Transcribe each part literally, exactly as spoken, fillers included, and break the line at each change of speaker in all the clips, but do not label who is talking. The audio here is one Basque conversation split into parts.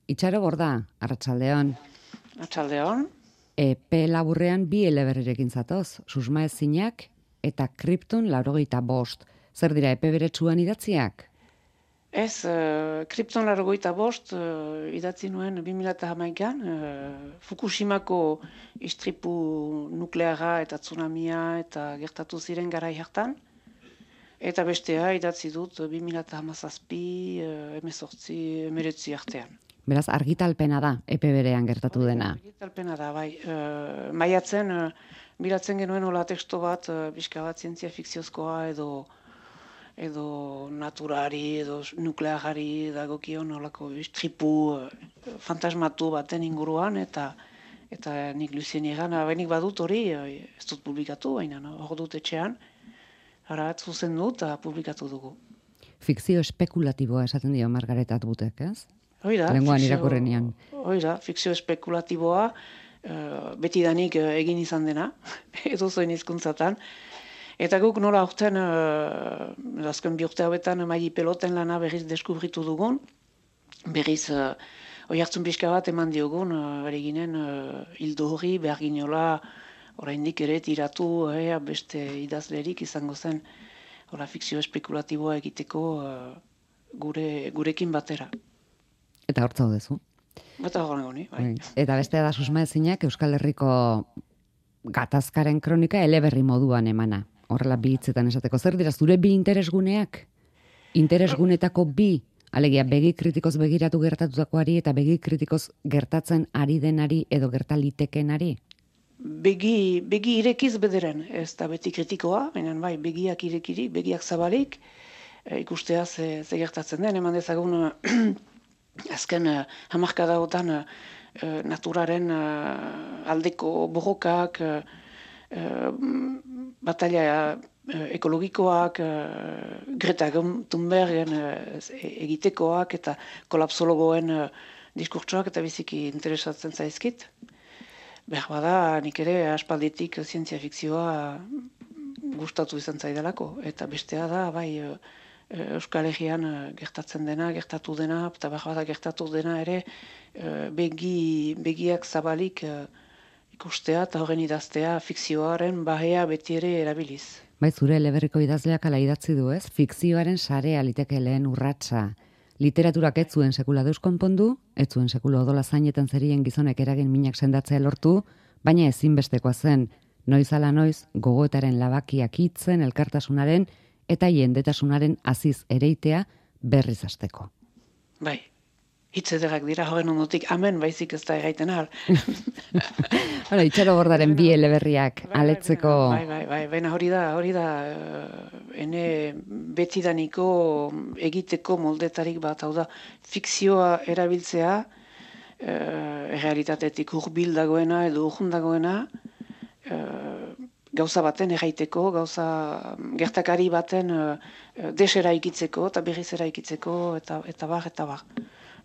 Itxaro Borda, arratsaldeon.
Arratsaldeon.
Epe laburrean bi eleberrirekin zatoz, susmaezinak eta Kripton laurogeita bost. Zer dira epe beretsuan idatziak?
Ez, uh, Kripton laurogeita bost uh, idatzi nuen bi mila hamaikan, uh, Fukushimako istripu nukleara eta tsunamia eta gertatu ziren garai hartan. Eta bestea idatzi dut bi mila hamazazpi, hemezortzi, hemeretzi artean.
Beraz, argitalpena da, epe berean gertatu dena.
Argitalpena da, bai. Uh, maiatzen, uh, bilatzen genuen hola teksto bat, uh, pixka bat zientzia fikziozkoa edo edo naturari, edo nuklearari dagokion holako istripu uh, fantasmatu baten inguruan, eta eta nik Lucien egan, benik badut hori, uh, ez dut publikatu, baina no? Hor dut etxean, ara zuzen dut, eta publikatu dugu.
Fikzio espekulatiboa esaten dio Margaret Atwoodik, ez?
Oida,
lenguan irakurrenian.
Oida, fikzio espekulatiboa, uh, betidanik uh, egin izan dena, edo zoin hizkuntzatan. Eta guk nola aurten, uh, azken bi urte hauetan, maili peloten lana berriz deskubritu dugun, berriz uh, oihartzun pixka bat eman diogun, uh, bere ginen, uh, hildo hori, behar ginola, oraindik ere tiratu, eh, beste idazlerik izango zen, ora fikzio espekulatiboa egiteko uh, gure, gurekin batera.
Eta hor zaudezu.
Eta hor goni, bai.
Eta bestea da susmaezinak Euskal Herriko gatazkaren kronika eleberri moduan emana. Horrela bi hitzetan esateko. Zer dira zure bi interesguneak? Interesgunetako bi, alegia begi kritikoz begiratu gertatutakoari eta begi kritikoz gertatzen ari denari edo gertalitekenari?
Begi, begi irekiz bederen, ez da beti kritikoa, baina bai, begiak irekiri, begiak zabalik, e, ikustea ze, ze gertatzen den, eman dezagun azken uh, hamarkadaotan uh, naturaren uh, aldeko borrokak, uh, uh, batalla uh, ekologikoak, uh, Greta Thunbergen uh, egitekoak eta kolapsologoen uh, diskurtsoak eta biziki interesatzen zaizkit. Behar bada, nik ere aspalditik zientzia fikzioa gustatu izan zaidalako. Eta bestea da, bai, Euskal Herrian gertatzen dena, gertatu dena, eta behar bada gertatu dena ere begi, begiak zabalik ikustea eta horren idaztea fikzioaren bahea beti ere erabiliz.
Bai, zure eleberriko idazleak ala idatzi du, ez? Fikzioaren sarea liteke lehen urratsa. Literaturak ez zuen sekula deus konpondu, ez zuen sekula odola zainetan zerien gizonek eragin minak sendatzea lortu, baina ezinbestekoa zen, noiz ala noiz gogoetaren labakiak hitzen, elkartasunaren eta jendetasunaren aziz ereitea berriz hasteko.
Bai, hitz ederrak dira horren ondotik, amen baizik ez da erraiten ahal.
Hala, Itxaro Bordaren bi eleberriak aletzeko...
Bai, bai, bai, baina hori da, hori da, ene betidaniko egiteko moldetarik bat, hau da, fikzioa erabiltzea, e, realitatetik hurbil dagoena edo urrun dagoena, e, gauza baten erraiteko, gauza gertakari baten e, desera ikitzeko, eta berriz eraikitzeko, eta, eta bar, eta bar.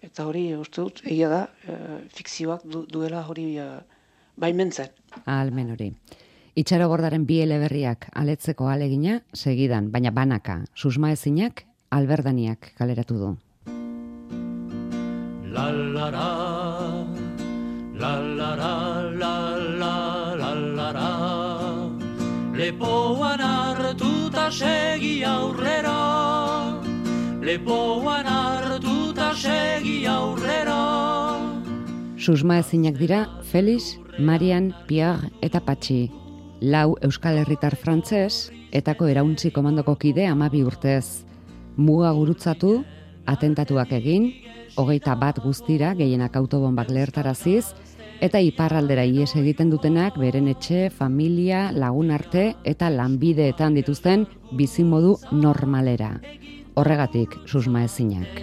Eta hori, uste dut, egia da, e, fikzioak du, duela hori e, baimentzen.
Almen hori. Itxaro Bordaren bi eleberriak aletzeko alegina segidan, baina banaka, susmaezinak alberdaniak kaleratu du.
La la la, la la la, la la la la la, lepoan hartuta segi aurrera, lepoan hartuta segi aurrera.
Susmaezinak dira Felix, Marian, Pierre eta Patxi. Lau Euskal Herritar frantzes, etako erauntzi komandoko kide hamabi urtez. Muga gurutzatu, atentatuak egin, hogeita bat guztira, gehienak autobombak lehertaraziz, eta iparraldera ihes egiten dutenak beren etxe, familia, lagun arte eta lanbideetan dituzten bizimodu normalera. Horregatik susmaezinak.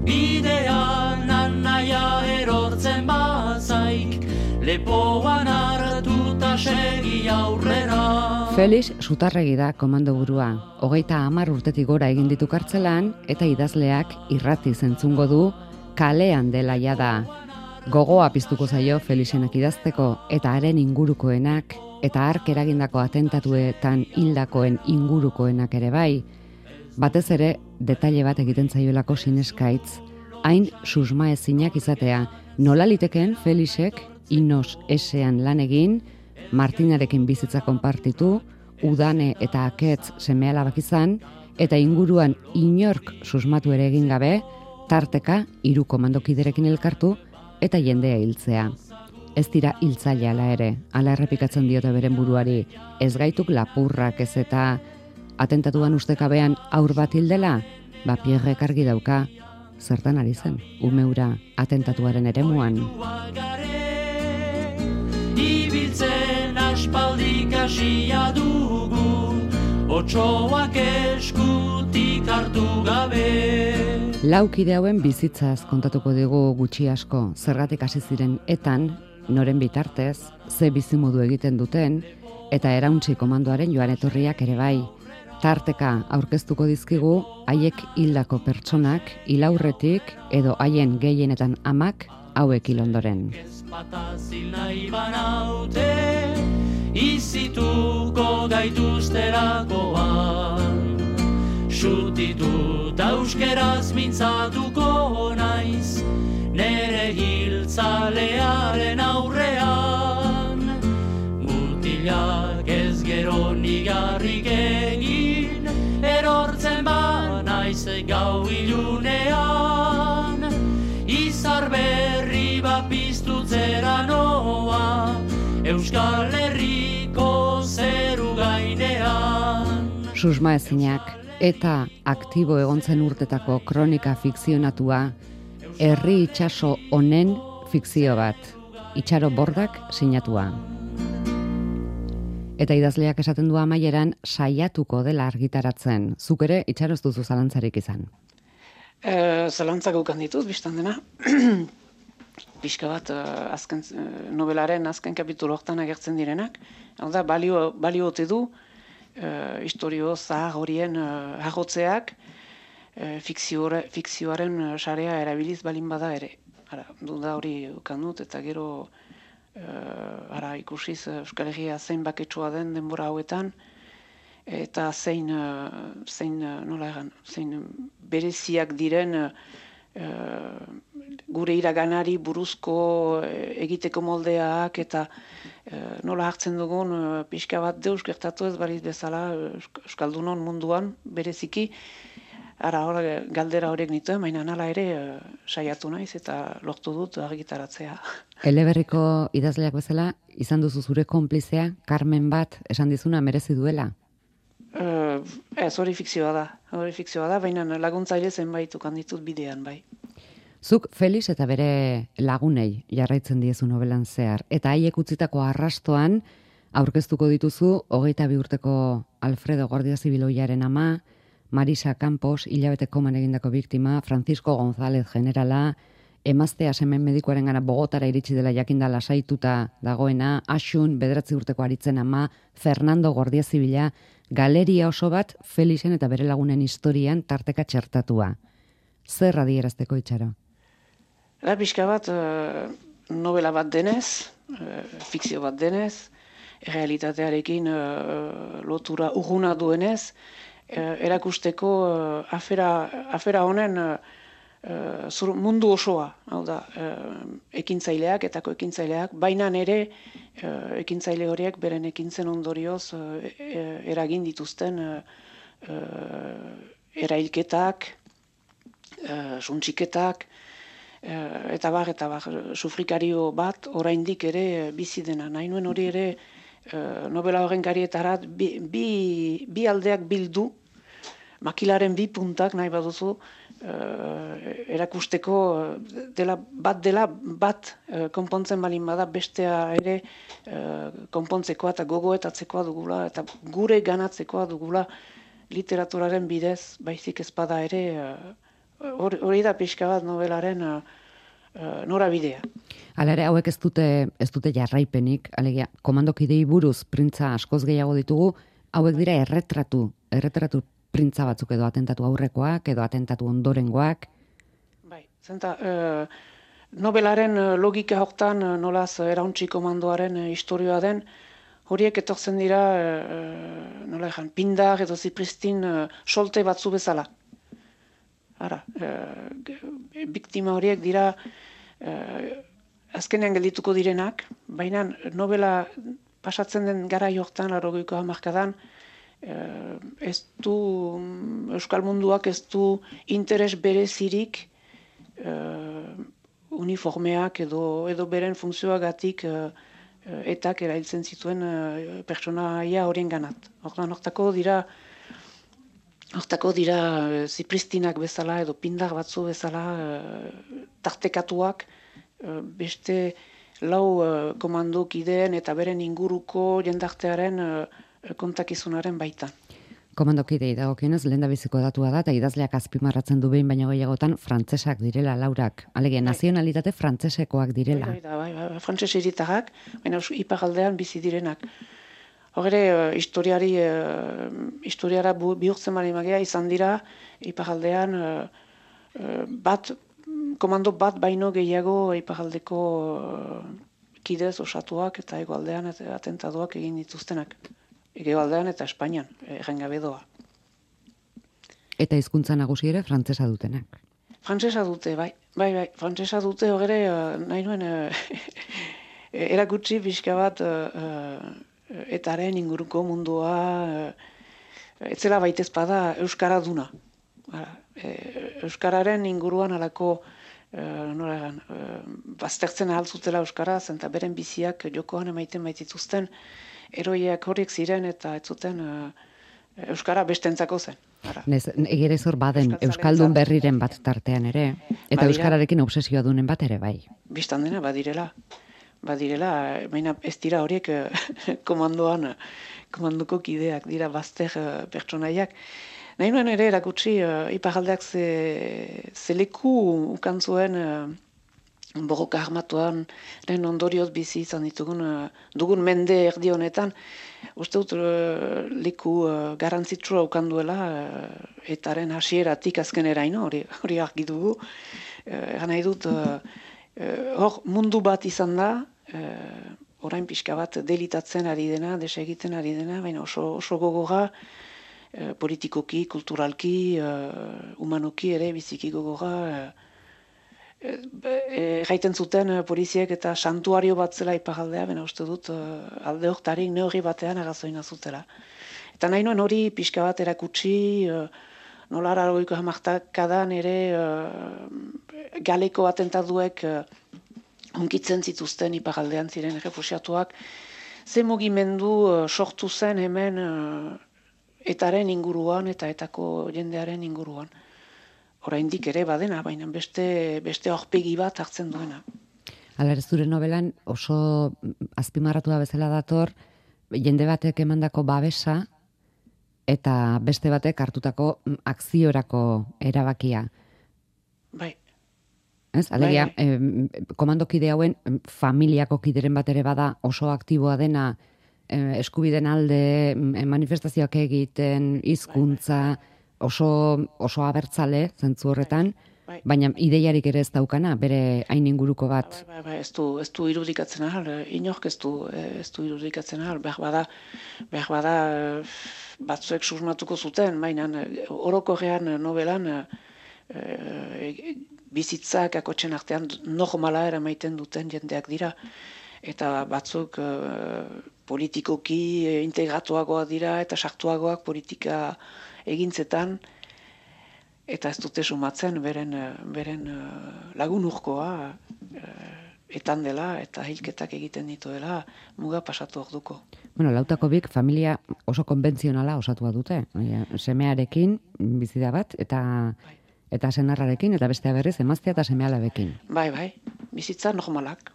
Bidean anaia erortzen bazaik, lepoan hartuta segi aurrera.
Felix Sutarregi da komandoburua. Hogeita hamar urtetik gora egin ditu kartzelan eta idazleak irrati zentzungo du kalean dela jada. Gogoa piztuko zaio Felixenak idazteko eta haren ingurukoenak eta hark eragindako atentatuetan hildakoen ingurukoenak ere bai. Batez ere, detaile bat egiten zaioelako sineskaitz, hain susma ezinak izatea, nola litekeen Felixek Inos esean lan egin, Martinarekin bizitza konpartitu, Udane eta Aketz seme-alabak izan, eta inguruan inork susmatu ere egin gabe, tarteka hiru komandokiderekin elkartu eta jendea hiltzea. Ez dira hiltzaile ala ere, ala errepikatzen diote beren buruari, ez gaituk lapurrak ez eta atentatuan ustekabean aur bat hildela, ba Pierrek argi dauka, zertan ari zen, umeura atentatuaren eremuan.
Ibiltzen aspaldik hasia dugu, otsoak eskutik hartu gabe.
Laukide hauen bizitzaz kontatuko digu gutxi asko, zergatik hasi ziren etan, noren bitartez, ze bizimodu egiten duten, eta erauntzi komandoaren joan etorriak ere bai. Tarteka aurkeztuko dizkigu, haiek hildako pertsonak, hilaurretik edo haien gehienetan amak hauek hil ondoren.
Ezpatazil nahi banaute, izituko gaituzterakoan. Xutitu ta euskeraz mintzatuko naiz, nere hiltzalearen aurrean. Mutilak ez gero nigarrik egin, erortzen ba naiz gau ilunean. Izar berri bat piztutzera noa, Euskal Herriko zeru gainean.
Susma ezinak eta aktibo egontzen urtetako kronika fikzionatua, herri itsaso honen fikzio bat, Itxaro Bordak sinatua. Eta idazleak esaten du amaieran saiatuko dela argitaratzen. Zuk ere Itxaro ez duzu zalantzarik izan.
E, zalantzak ukan dituz, biztan dena. Pixka bat uh, azken, uh, novelaren azken kapitulo hortan agertzen direnak. Hau da, balio, balio ote du, uh, historio zahar horien uh, harrotzeak, uh, fikziore, fikzioaren uh, sarea erabiliz balin bada ere. Ara, duda hori ukan dut, eta gero uh, ara, ikusiz uh, Euskal Herria zein baketsua den denbora hauetan, eta zein, uh, zein uh, nola egan, zein bereziak diren uh, gure iraganari buruzko uh, egiteko moldeak, eta uh, nola hartzen dugun uh, pixka bat deus gertatu ez baliz bezala uh, Euskaldunon munduan bereziki. Ara, hor, galdera horiek nituen, baina nala ere uh, saiatu naiz eta lortu dut argitaratzea.
Eleberriko idazleak bezala, izan duzu zure konplizea, Carmen bat esan dizuna merezi duela?
Uh, ez, hori fikzioa da, hori fikzioa da, baina laguntzaile zenbait ukan ditut bidean, bai.
Zuk Felix eta bere lagunei jarraitzen diezu novelan zehar, eta haiek utzitako arrastoan aurkeztuko dituzu hogeita bi urteko Alfredo Gordia Zibiloiaren ama, Marisa Campos, hilabete koman egindako biktima, Francisco González generala, emaztea semen medikuaren gana Bogotara iritsi dela jakinda lasaituta dagoena, Asun, bederatzi urteko aritzen ama, Fernando Gordia Zibila, galeria oso bat Felixen eta bere lagunen historian tarteka txertatua. Zer adierazteko, Itxaro?
Da, pixka bat, uh, novela bat denez, uh, fikzio bat denez, realitatearekin uh, lotura urguna duenez, uh, erakusteko uh, afera, afera honen uh, uh, zur, mundu osoa, hau da, uh, ekintzaileak, etako ekintzaileak, baina ere uh, ekintzaile horiek beren ekintzen ondorioz uh, eragin dituzten uh, uh, erailketak, uh, suntsiketak, Uh, eta bar, eta bar, sufrikario bat oraindik ere bizi dena. Nahi nuen hori ere uh, novela horren karietarat bi, bi, bi aldeak bildu, makilaren bi puntak nahi baduzu, uh, erakusteko dela, bat dela bat uh, konpontzen balin bada, bestea ere uh, konpontzekoa eta gogoetatzekoa dugula, eta gure ganatzekoa dugula literaturaren bidez, baizik ezpada ere, uh, Hori, hori da pixka bat novelaren uh, uh, norabidea.
Hala ere, hauek ez dute, ez dute jarraipenik, alegia, komandokidei buruz printza askoz gehiago ditugu, hauek dira erretratu, erretratu printza batzuk edo atentatu aurrekoak, edo atentatu ondorengoak.
Bai, zenta, uh, novelaren logika hortan uh, nolaz erauntzi komandoaren uh, historioa den, horiek etortzen dira, e, nola egan, pindar edo zipristin e, solte batzu bezala. Ara, e, biktima horiek dira e, azkenean geldituko direnak, baina novela pasatzen den gara jortan, larogeiko hamarkadan, e, ez du, Euskal Munduak ez du interes berezirik e, uniformeak edo, edo beren funtzioagatik e, etak erailtzen zituen uh, pertsonaia horien ganat. Hortan, hortako dira, hortako dira uh, zipristinak bezala edo pindar batzu bezala uh, tartekatuak uh, beste lau uh, komandokideen eta beren inguruko jendartearen uh, kontakizunaren baitan.
Komandokidei dagokionez lehendabiziko datua da eta idazleak azpimarratzen du behin baino gehiagotan frantsesak direla laurak. Alegia, bai. Nazionalitate frantsesekoak direla.
Bai, bai, bai, bai, frantses hiritarrak, baina iparraldean bizi direnak. Hor ere, uh, historiari, uh, historiara bihurtzen bali magia izan dira, iparraldean uh, uh, bat, komando bat baino gehiago iparraldeko uh, kidez osatuak eta hegoaldean atentadoak egin dituztenak. Egoaldean eta Espainian, errengabe doa.
Eta hizkuntza nagusi ere frantsesa dutenak.
Frantsesa dute, bai. Bai, bai, frantsesa dute hogere, uh, nahi nuen, uh, erakutsi pixka bat uh, etaren inguruko mundua, uh, etzela baitezpada Euskara duna. Bara, e, Euskararen inguruan alako, uh, nola egan, uh, baztertzen ahaltzutela Euskara, zenta beren biziak jokoan emaiten baitituzten, eroiak horiek ziren eta ez zuten uh, Euskara bestentzako zen.
Nez, egere zor baden Euskaldun berriren bat tartean ere, eta badira, Euskararekin obsesioa dunen bat ere bai.
Bistan dena, badirela. Badirela, baina ez dira horiek komandoan, komanduko kideak dira bazter uh, pertsonaiak. Nahi nuen ere erakutsi, uh, iparaldeak ze, ze leku ukan zuen uh, borroka armatuan lehen ondorioz bizi izan ditugun uh, dugun mende erdi honetan, uste dut uh, leku uh, garantzitsua ukan duela uh, etaren hasieratik azkeneraino, hori, hori argi dugu. Uh, Egan nahi dut, uh, uh, hor mundu bat izan da, uh, orain pixka bat delitatzen ari dena, desegiten ari dena, baina oso, oso gogorra, uh, politikoki, kulturalki, uh, humanoki ere biziki gogorra, uh, Gaiten zuten poliziek eta santuario bat zela iparaldea, bena uste dut alde hortarik neurri batean agazoina zutela. Eta nahi nuen hori pixka bat erakutsi, nola aragoiko hamartakadan ere galeko atentaduek hunkitzen zituzten iparaldean ziren refusiatuak, ze mugimendu sortu zen hemen etaren inguruan eta etako jendearen inguruan. Oraindik ere badena, baina beste beste aurpegi bat hartzen duena.
Hala ere zure novelan oso azpimarratua bezala dator jende batek emandako babesa eta beste batek hartutako akziorako erabakia.
Bai.
Ez, alegia, bai, bai. Eh, komandokide hauen familiako kideren bat ere bada oso aktiboa dena eh, eskubiden alde manifestazioak egiten, hizkuntza, bai, bai. Oso, oso abertzale zentzu horretan, bai, bai. Baina ideiarik ere ez daukana, bere hain inguruko bat.
Bai, bai, bai, ez du, ez du irudikatzen ahal, inork ez du, ez du irudikatzen ahal, behar bada, behar bada batzuek susmatuko zuten, baina orokorrean novelan e, bizitzak akotxen artean normala eramaiten duten jendeak dira, eta batzuk e, politikoki integratuagoa dira eta sartuagoak politika egintzetan, eta ez dute sumatzen beren, beren lagun urkoa etan dela eta hilketak egiten dituela muga pasatu orduko.
Bueno, lautako bik familia oso konbentzionala osatua dute. Semearekin bizi da bat eta bai. Eta senarrarekin eta bestea berriz emaztea eta seme-alabekin.
Bai, bai. Bizitza normalak,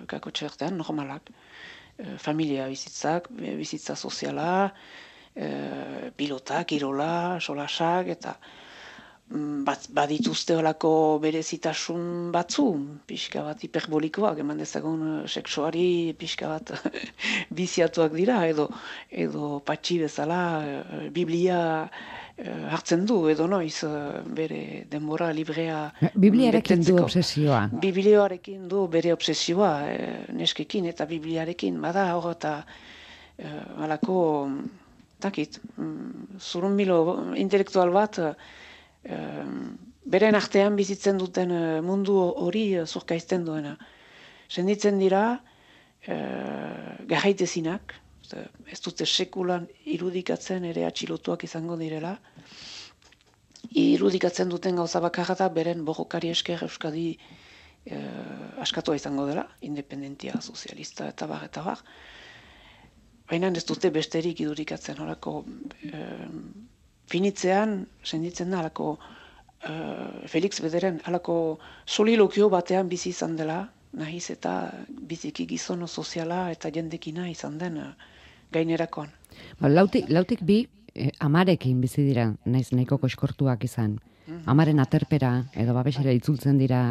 kakotxe artean normalak. Familia bizitzak, bizitza soziala, E, pilota, kirola, solasak, eta bat, badituzte holako berezitasun batzu, pixka bat hiperbolikoak, eman dezagun sexuari pixka bat biziatuak dira, edo, edo patxi bezala Biblia hartzen du, edo noiz bere denbora librea
Bibliarekin du obsesioa.
Bibliarekin du bere obsesioa, neskekin eta Bibliarekin, bada hor eta uh, alako, takit, um, zurunbilo intelektual bat, uh, beren artean bizitzen duten uh, mundu hori uh, zurkaizten duena. Senditzen dira, uh, garraitezinak, ez dute sekulan irudikatzen ere atxilotuak izango direla. Irudikatzen duten gauza bakarra da beren borrokari esker Euskadi eh, askatua izango dela, independentia, sozialista eta bar, eta bar. Baina ez dute besterik irudikatzen, horako eh, finitzean, senditzen da, halako eh, Felix Bederen, halako solilokio batean bizi izan dela, nahiz eta biziki gizono soziala eta jendekina izan den uh, gainerakoan.
Ba, lautik, lautik bi eh, amarekin bizi dira, naiz nahiko koiskortuak izan. Mm-hmm. Amaren aterpera edo babesera itzultzen dira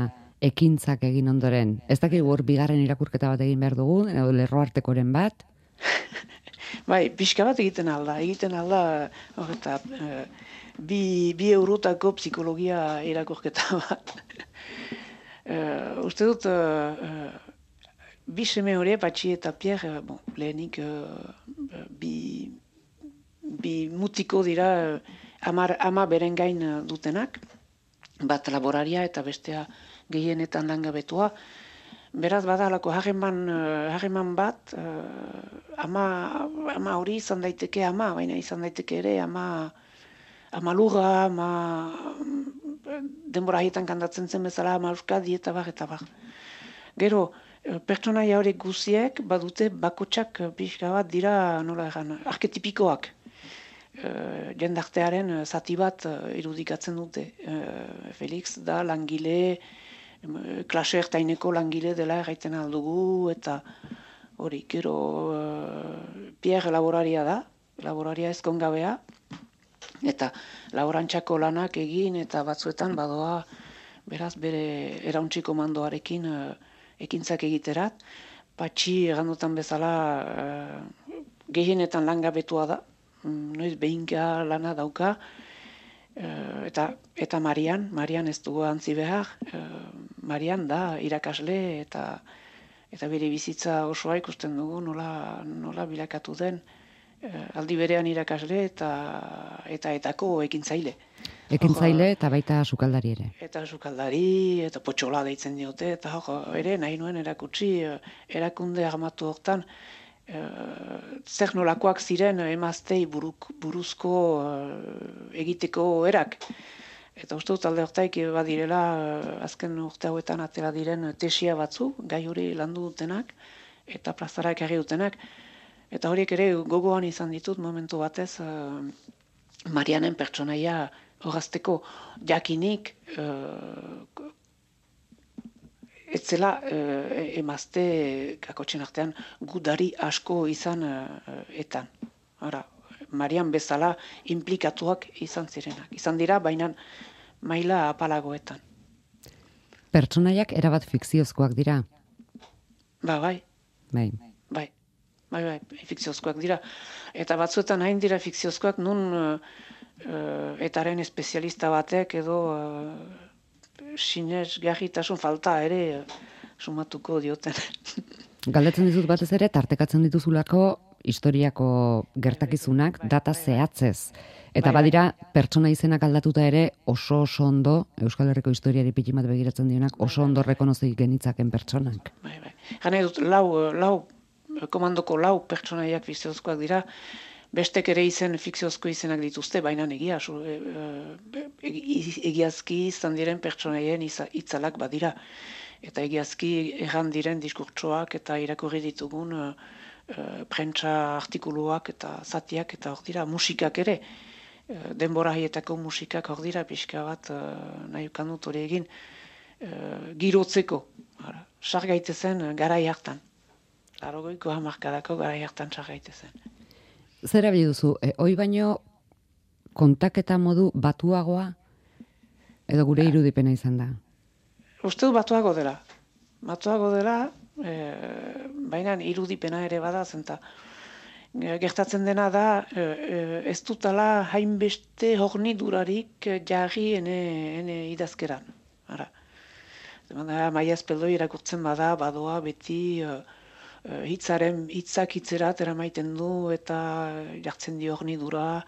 ekintzak egin ondoren. Ez dakik hor bigarren irakurketa bat egin behar dugu, edo lerroartekoren bat?
Bai, pixka bat egiten alda. Egiten alda, hor eta uh, bi, bi eurotako psikologia irakurketa bat. Uh, uste dut, uh, uh, bi seme hori, Patxi eta Pierre, uh, bon, lehenik uh, bi, bi mutiko dira uh, amar, ama beren gain uh, dutenak, bat laboraria eta bestea gehienetan langabetua. Beraz badalako harreman, uh, harreman bat, uh, ama, ama hori izan daiteke ama, baina izan daiteke ere ama, ama lurra, ama denbora haietan kantatzen zen bezala, ama Euskadi eta bar, eta bar. Gero, pertsonaia horiek guziek badute bakotsak pixka bat dira, nola egan, arketipikoak. E, jendartearen zati bat irudikatzen dute. E, Felix da langile, klase ertaineko langile dela erraiten aldugu, eta hori, gero e, Pierre laboraria da, laboraria ezkongabea, eta laborantxako lanak egin eta batzuetan badoa beraz bere erauntzi komandoarekin uh, ekintzak egiterat. Patxi egandotan bezala uh, gehienetan langabetua da, mm, noiz behinka lana dauka, uh, eta, eta Marian, Marian ez dugu antzi behar, uh, Marian da irakasle eta, eta bere bizitza osoa ikusten dugu nola, nola bilakatu den, aldi berean irakasle eta eta etako ekintzaile.
Ekintzaile eta baita sukaldari ere.
Eta sukaldari, eta potxola deitzen diote, eta jo, ere nahi nuen erakutsi erakunde armatu hortan e, zer nolakoak ziren emaztei buruk, buruzko e, egiteko erak. Eta uste dut alde hortaik badirela azken urte hauetan atera diren tesia batzu, gai hori landu dutenak eta plazara ekarri dutenak. Eta horiek ere gogoan izan ditut momentu batez uh, Marianen pertsonaia horazteko jakinik uh, etzela uh, emazte kakotxen artean gudari asko izan uh, etan. Hora, Marian bezala implikatuak izan zirenak. Izan dira, baina maila apalagoetan.
Pertsonaiak erabat fikziozkoak dira?
Ba, bai.
Bai.
Bai. Bai, bai, fikziozkoak dira. Eta batzuetan hain dira fikziozkoak nun uh, uh, etaren espezialista batek edo uh, sinesgarritasun falta ere uh, sumatuko dioten.
Galdetzen dizut batez ere, tartekatzen dituzulako historiako gertakizunak data zehatzez. Eta bai, badira, bai, pertsona izenak aldatuta ere oso oso ondo, Euskal Herriko historiari pitin bat begiratzen dionak, oso bai, ondo rekonozi genitzaken pertsonak. Bai,
bai. Gane dut, lau, lau komandoko lau pertsonaiak fikziozkoak dira, bestek ere izen fikziozko izenak dituzte, baina egia, e, e, egiazki izan diren pertsonaien itzalak badira. Eta egiazki erran diren diskurtsoak eta irakurri ditugun e, e, prentsa artikuluak eta zatiak eta hor dira, musikak ere, e, denbora haietako musikak hor dira, pixka bat e, nahi ukandut hori egin, e, girotzeko, sar gaitezen garai hartan. Larogoiko hamarkadako gara hartan txarraite zen.
Zer abili duzu, e, hoi baino kontaketa modu batuagoa edo gure irudipena izan da?
Uste du batuago dela. Batuago dela, e, baina irudipena ere bada zenta. Gertatzen dena da, e, ez dutala hainbeste hornidurarik jarri ene, ene idazkeran. Ara. Maia Azpeldo irakurtzen bada, badoa beti... hitzaren hitzak hitzerat eramaiten du eta jartzen dio hornidura,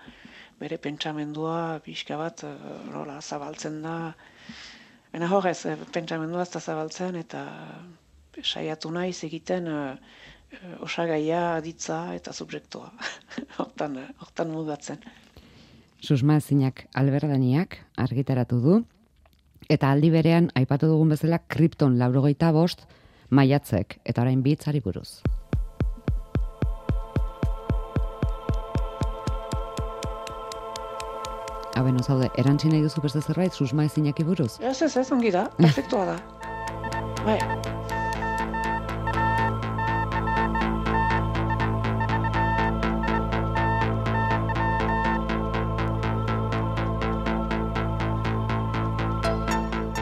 bere pentsamendua pixka bat nola zabaltzen da. Baina horrez, pentsamendua ez da zabaltzen eta saiatu naiz egiten osagaia, aditza eta subjektua. Hortan, hortan mugatzen.
Susma ezinak Alberdaniak argitaratu du, eta aldi berean aipatu dugun bezala Krypton laurogeita bost maiatzek, eta orain bi hitzari buruz. Haben, zaude, erantzi nahi duzu beste zerbait susma ezinaki buruz?
Ez, ez, ez, ongi da, perfektua da. Bai.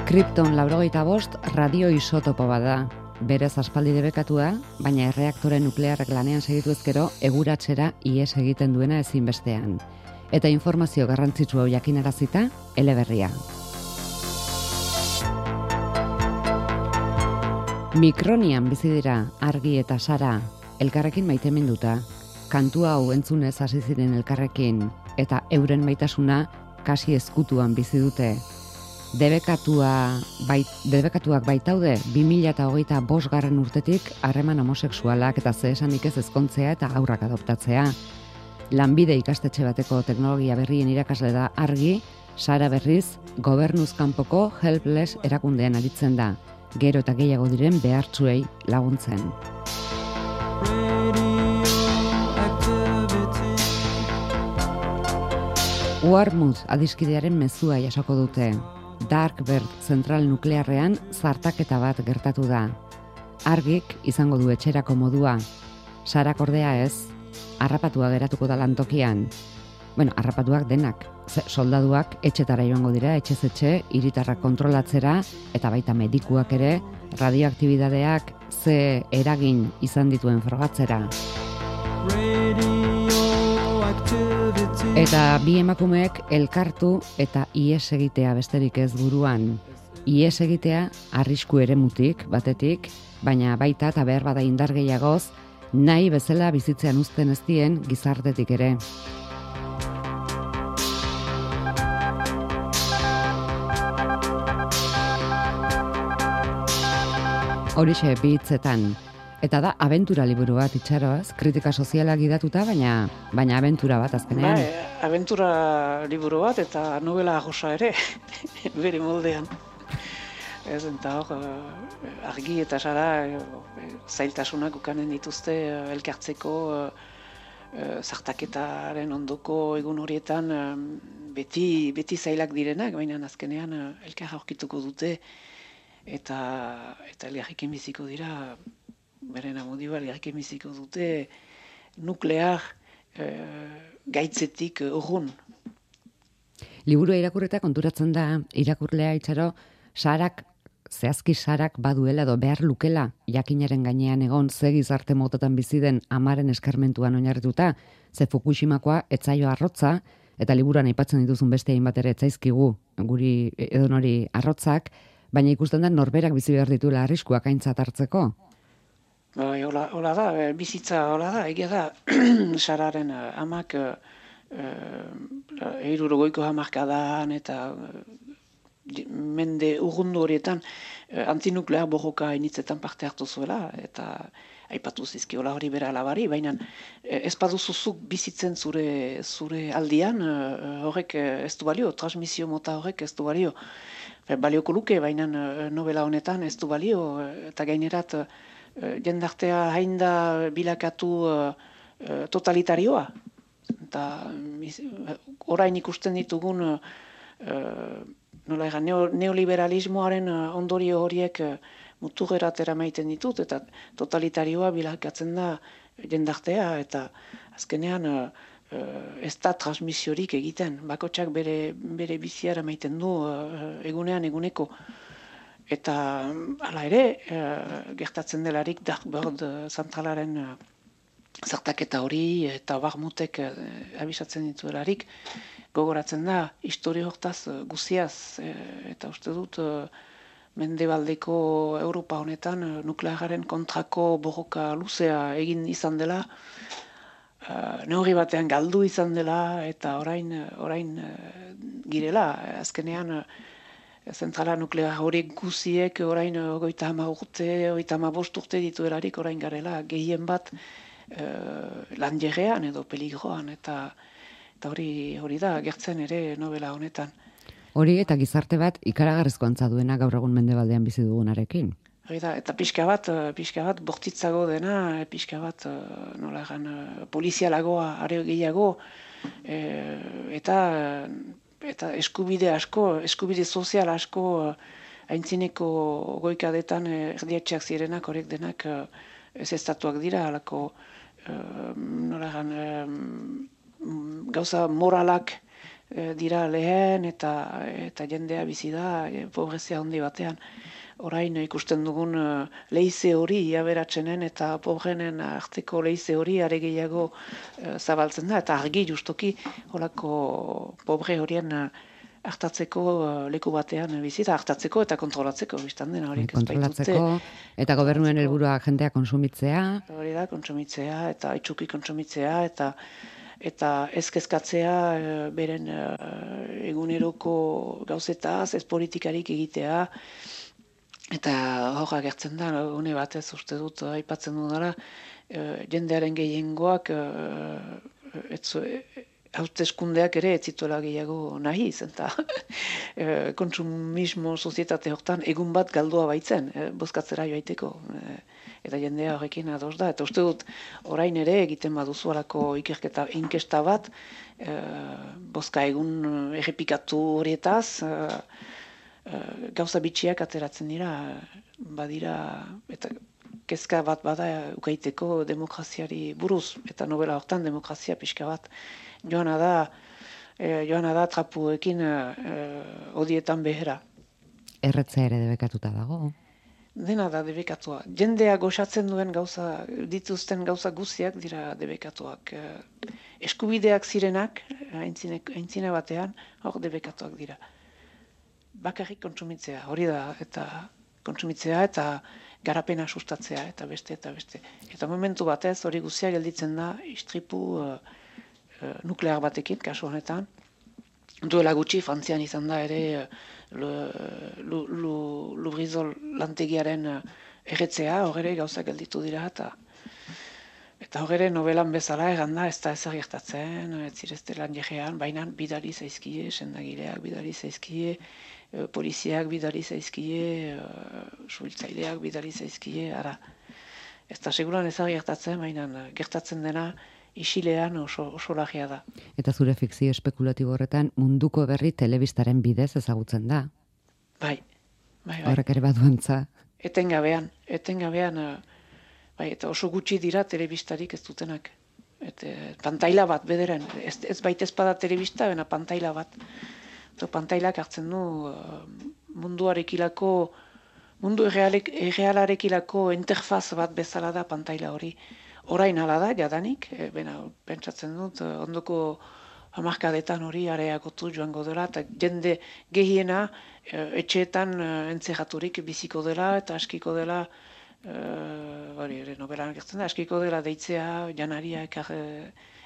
Krypton laurogeita bost radio isotopo bada. Berez aspaldi debekatua, baina erreaktore nuklearrak lanean segitu ezkero eguratzera ihes egiten duena ezinbestean. Eta informazio garrantzitsu hau jakinarazita, eleberria. Mikronian bizi dira Argi eta Sara, elkarrekin maiteminduta. Kantu hau entzunez hasi ziren elkarrekin, eta euren maitasuna kasi ezkutuan bizi dute. Debekatua, bait, debekatuak baitaude bi mila hogeita bost garren urtetik harreman homosexualak eta ze esanik ez ezkontzea eta haurrak adoptatzea. Lanbide ikastetxe bateko teknologia berrien irakasle da Argi, Sara berriz gobernuz kanpoko Helpless erakundean aritzen da, gero eta gehiago diren behartsuei laguntzen. Warmouth adiskidearen mezua jasoko dute. Darkbird zentral nuklearrean zartaketa bat gertatu da. Argik izango du etxerako modua. Sarak ordea ez, harrapatua geratuko da lantokian. Bueno, harrapatuak denak. Soldaduak etxetara joango dira, etxez etxe, hiritarrak kontrolatzera, eta baita medikuak ere, radioaktibidadeak ze eragin izan dituen frogatzera. Eta bi emakumeek elkartu eta ihes egitea besterik ez buruan. Ihes egitea arrisku eremutik, batetik, baina baita eta behar bada indar gehiagoz, nahi bezala bizitzean uzten ez dien gizartetik ere. Horixe bi hitzetan. Eta da abentura liburu bat itxaroaz, kritika sozialak idatuta, baina baina abentura bat azkenean.
Bai, abentura liburu bat eta novela josa ere, bere moldean. Ez, eta hor, Argi eta Sara zailtasunak ukanen dituzte elkartzeko zartaketaren ondoko egun horietan beti, beti zailak direnak, baina azkenean elkar aurkituko dute eta, eta elgarrekin biziko dira, beren amodioa elgarrekin biziko dute nuklear e, gaitzetik urrun.
Liburua irakurreta konturatzen da, irakurlea itxaro, Sarak, zehazki Sarak baduela edo behar lukela jakinaren gainean egon ze gizarte motetan bizi den amaren eskarmentuan oinarrituta, ze Fukushimakoa etzaio arrotza, eta liburuan aipatzen dituzun beste hainbat ere etzaizkigu guri edonori arrotzak, baina ikusten da norberak bizi behar dituela arriskuak aintzat hartzeko.
Bai, hola, hola da, bizitza hola da, egia da, Sararen amak hirurogeiko hamarkadan eta mende urrundu horietan antinuklear borroka initzetan parte hartu zuela, eta aipatu zizkiola hori bera alabari, baina ez paduzuzuk bizitzen zure, zure aldian, horrek ez du balio, transmisio mota horrek ez du balio. Balioko luke, baina novela honetan ez du balio, eta gainerat jendartea hainda bilakatu totalitarioa. Eta orain ikusten ditugun nola egan, neoliberalismoaren ondorio horiek muturrerat eramaiten ditut, eta totalitarioa bilakatzen da jendartea, eta azkenean ez da transmisiorik egiten. Bakotxak bere, bere bizia eramaiten du egunean eguneko. Eta hala ere, gertatzen delarik Darkbird zentralaren zartaketa hori eta Warmouthek abisatzen dituelarik, gogoratzen da, historia hortaz guziaz, eta uste dut mendebaldeko Europa honetan uh, nukleararen kontrako borroka luzea egin izan dela, uh, neurri batean galdu izan dela, eta orain, orain uh, girela, azkenean uh, zentrala nuklear horiek guziek orain ogoita hama urte, ogoita hama bost urte dituelarik orain garela, gehien bat uh, lanjerean edo peligroan, eta, eta hori, hori da, gertzen ere novela honetan.
Hori eta gizarte bat ikaragarrizko antza duena gaur egun mendebaldean bizi dugunarekin.
Hori da, eta pixka bat, pixka bat bortitzago dena, pixka bat nola egan, polizialagoa, are gehiago, e, eta eta eskubide asko, eskubide sozial asko aintzineko goikadetan erdiatxeak zirenak, horrek denak ez estatuak dira, alako nola egan, gauza moralak dira lehen, eta, eta jendea bizi da, pobrezia handi batean. Orain ikusten dugun uh, leize hori aberatsenen eta pobrenen arteko leize hori are gehiago uh, zabaltzen da, eta argi justoki holako pobre horien uh, hartatzeko uh, leku batean bizi da, hartatzeko eta kontrolatzeko biztan dena horiek ez baitute.
Kontrolatzeko eta gobernuen helburua jendea konsumitzea.
Hori da, konsumitzea eta itxuki konsumitzea eta eta ez kezkatzea uh, beren uh, eguneroko gauzetaz, ez politikarik egitea. Eta hor agertzen da, une batez uste dut, aipatzen dudala, e, jendearen gehiengoak e, etzo, e, hauteskundeak ere ez zituela gehiago nahi zen, eta e, kontsumismo sozietate hortan egun bat galdua baitzen, e, bozkatzera joaiteko. E, eta jendea horrekin ados da. Eta uste dut, orain ere egiten baduzu alako ikerketa inkesta bat, e, bozka egun errepikatu horietaz, e, Uh, gauza bitxiak ateratzen dira, badira, eta kezka bat bada ukaiteko demokraziari buruz, eta novela hortan demokrazia pixka bat joana da, eh, joana da trapuekin eh, odietan behera.
Erretzea ere debekatuta dago.
Dena da debekatua. Jendea goxatzen duen gauza, dituzten gauza guziak dira debekatuak. Eh, eskubideak zirenak, aintzine, aintzine batean, hor debekatuak dira. Bakarrik kontsumitzea, hori da, eta kontsumitzea eta garapena sustatzea, eta beste, eta beste. Eta momentu batez, hori guzia gelditzen da, istripu uh, uh, nuklear batekin, kasu honetan. Duela gutxi, Frantzian izan da ere uh, Lubrizol lantegiaren uh, erretzea, hor gauza gelditu dira, eta Eta hor novelan bezala egan da, ez da ezer gertatzen, ez zirezte lan jegean, baina bidali zaizkie, sendagileak bidali zaizkie, poliziak bidali zaizkie, suhiltzaileak bidali zaizkie, ara. Ez da seguran ezer gertatzen, baina gertatzen dena isilean oso, oso lagia da.
Eta zure fikzio espekulatibo horretan munduko berri telebistaren bidez ezagutzen da.
Bai, bai, bai.
Horrek ere baduantza.
Etengabean, etengabean, bai, eta oso gutxi dira telebistarik ez dutenak. Eta pantaila bat bederen, ez, ez baita ezpada telebista, bena pantaila bat. Eta pantailak hartzen du munduarekilako, mundu errealarekilako interfaz bat bezala da pantaila hori. Orain hala da, jadanik, e, bena, pentsatzen dut, ondoko hamarkadetan hori areagotu joango dela, eta jende gehiena e, etxeetan e, entzeraturik biziko dela, eta askiko dela, hori ere nobelan gertzen da, askiko dela deitzea, janaria ekar,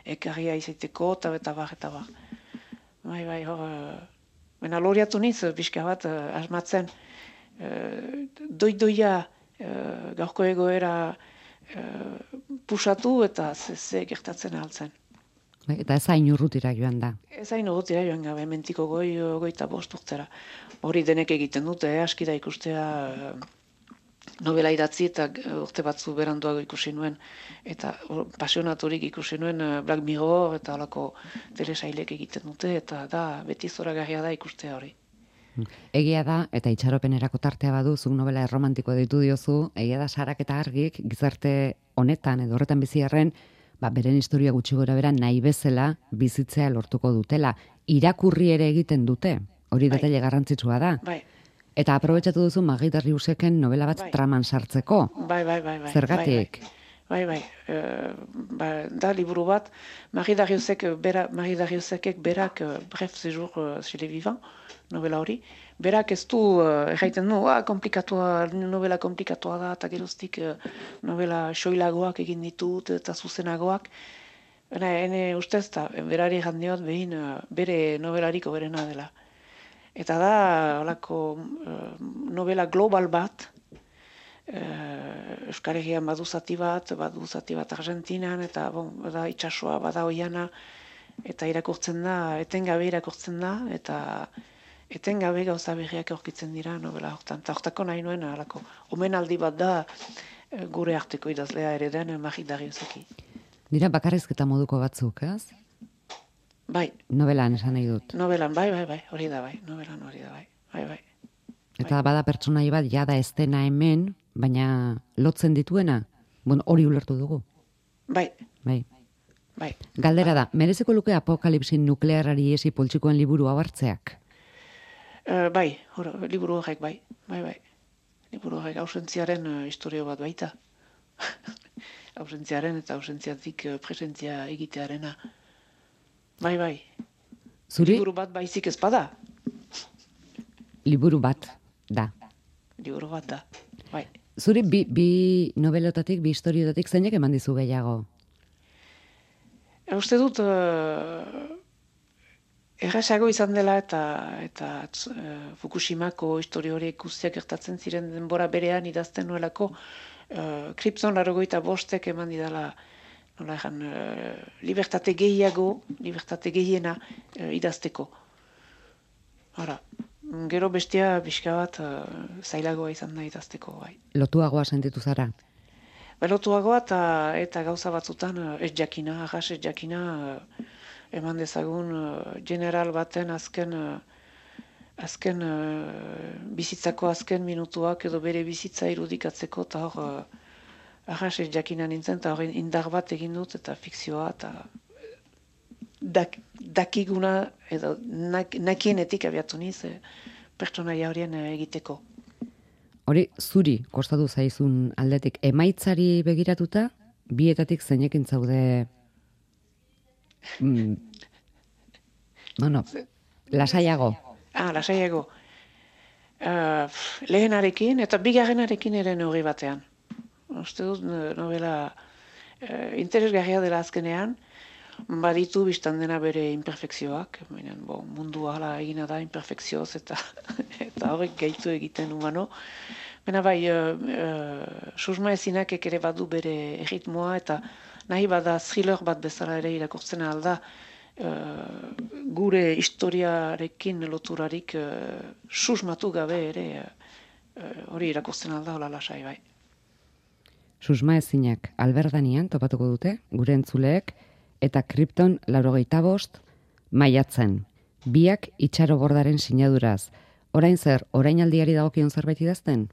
ekarria izaiteko, eta eta bar, eta bar. Bai, bai, hor, bena loriatu niz, pixka bat, asmatzen, doidoia gaurko egoera pusatu eta ze gertatzen altzen.
Eta ez hain urrutira joan da.
Ez hain urrutira joan gabe, mentiko goi, goita bost urtera. Hori denek egiten dute, eh? Aski da ikustea novela idatzi eta urte batzu beranduago ikusi nuen, eta pasionaturik ikusi nuen Black Mirror eta halako telesailek egiten dute, eta da, beti zoragarria da ikustea hori.
Egia da, eta itxaropenerako tartea badu, zuk novela erromantiko ditu diozu, egia da Sarak eta Argik gizarte honetan edo horretan biziarren, ba, beren historia gutxi gora bera nahi bezala bizitzea lortuko dutela. Irakurri ere egiten dute, hori bai. Detaile garrantzitsua da.
Bai.
Eta aprobetxatu duzu Magida Riuseken novela bat bai. Traman sartzeko.
Bai, bai, bai. bai
Zergatik?
Bai, bai. bai, bai. E, ba, da liburu bat, Marie Dariuszek bera, Marie Dariuszekek berak uh, Bref séjour uh, chez les vivants, novela hori. Berak ez du, uh, erraiten du, ah, komplikatua, novela komplikatua da, eta geroztik uh, novela soilagoak egin ditut, eta zuzenagoak. Baina, ene ustez, eta berari jandiot behin uh, bere novelariko berena dela. Eta da, holako uh, novela global bat, uh, Euskal Herrian badu zati bat, badu zati bat Argentinan, eta bon, bada itsasoa, bada oiana, eta irakurtzen da, etengabe irakurtzen da, eta etengabe gauza berriak aurkitzen dira novela hortan. Eta hortako nahi nuen, halako, omenaldi bat da gure arteko idazlea ere den Marie Dariuszeki.
Dira bakarrizketa moduko batzuk, ez?
Bai.
Novelan esan nahi dut.
Novelan, bai, bai, bai, hori da bai, novelan hori da bai, bai, bai.
Eta bada pertsonai bat, jada ez dena hemen, baina lotzen dituena, bueno, hori ulertu dugu.
Bai.
Bai.
Bai.
Galdera da, merezeko luke apokalipsin nuklearari esi poltsikoen liburu hau hartzeak?
Uh, bai, hor, liburu horrek bai, bai, bai. Liburu horrek ausentziaren uh, historio bat baita. Ausentziaren eta ausentziatik uh, presentzia egitearena. Bai, bai.
Zuri?
Liburu bat baizik ez bada.
Liburu bat, da.
Liburu bat da, bai.
Zuri bi, bi novelotatik, bi historiotatik zeinek eman dizu gehiago?
Uste dut, uh, errasago izan dela eta eta uh, Fukushimako historio horiek guztiak gertatzen ziren denbora berean idazten nuelako uh, Krypton laurogeita bostek eman didala nola egan, uh, libertate gehiago, libertate gehiena uh, idazteko. Hora, gero bestia pixka bat uh, zailagoa izan da idazteko, bai.
Lotuagoa sentitu zara?
Belotuagoa eta, eta gauza batzutan uh, ez jakina, arras ez jakina, uh, eman dezagun uh, general baten azken uh, azken uh, bizitzako azken minutuak edo bere bizitza irudikatzeko eta hor uh, arras ez jakina nintzen eta hor indar bat egin dut eta fikzioa eta dak, dakiguna edo nak, nakienetik abiatu niz eh, pertsonaia horien eh, egiteko.
Hori, zuri kostatu zaizun aldetik, emaitzari begiratuta, bietatik zeinekin zaude mm, bueno, lasaiago.
Ah, lasaiago. Uh, lehenarekin eta bigarrenarekin ere neurri batean. Uste dut novela uh, interesgarria dela azkenean, baditu biztan dena bere imperfekzioak, Benen, bo, mundu hala egina da imperfekzioz eta eta horrek gaitu egiten humano. Baina bai, uh, uh, susma ezinak ere badu bere erritmoa eta nahi bada thriller bat bezala ere irakurtzen alda uh, gure historiarekin loturarik uh, susmatu gabe ere uh, hori irakurtzen alda hola lasai bai.
Susma ezinak Alberdanian topatuko dute, gure entzuleek, eta Krypton laurogeita bost maiatzen. Biak itxarobordaren sinaduraz. Orain zer, orainaldiari dagokion zerbait idazten?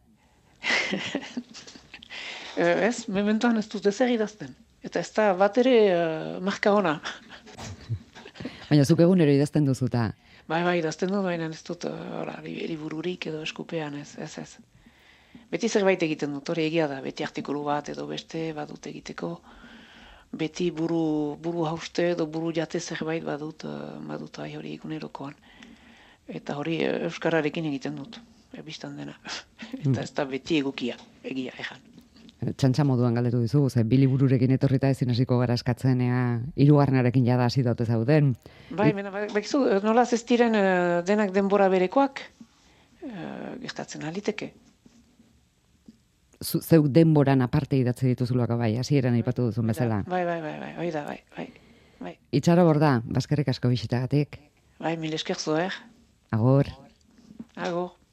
Ez, mementoan ez dut ezer idazten. Eta ez da bat ere uh, marka ona.
Baina zuk egunero idazten duzuta.
Bai, bai, idazten dut, baina ez dut uh, libururik edo eskupean ez, ez, ez. Beti zerbait egiten dut, hori egia da, beti artikulu bat edo beste badut egiteko. Beti buru, buru hauste edo buru jate zerbait badut, uh, badut ai hori egunerokoan. Eta hori euskararekin egiten dut, ebistan dena. Eta ez da beti egukia, egia, ejan.
Txantxa moduan galdetu dizugu, ze bi libururekin etorrita ezin hasiko gara eskatzen, ea, hirugarrenarekin jada hasi daute zauden.
Bai, bena, bakizu, nolaz ez diren uh, denak denbora berekoak, uh, gertatzen aliteke.
Zeu denboran aparte idatze dituzulak bai, hasieran aipatu duzun bezala.
Bai, bai, bai, bai, hori da, bai, bai, bai.
Itxaroborda, bazkerrik asko bisitagatik.
Bai, mil esker zoer.
Agor.
Agor.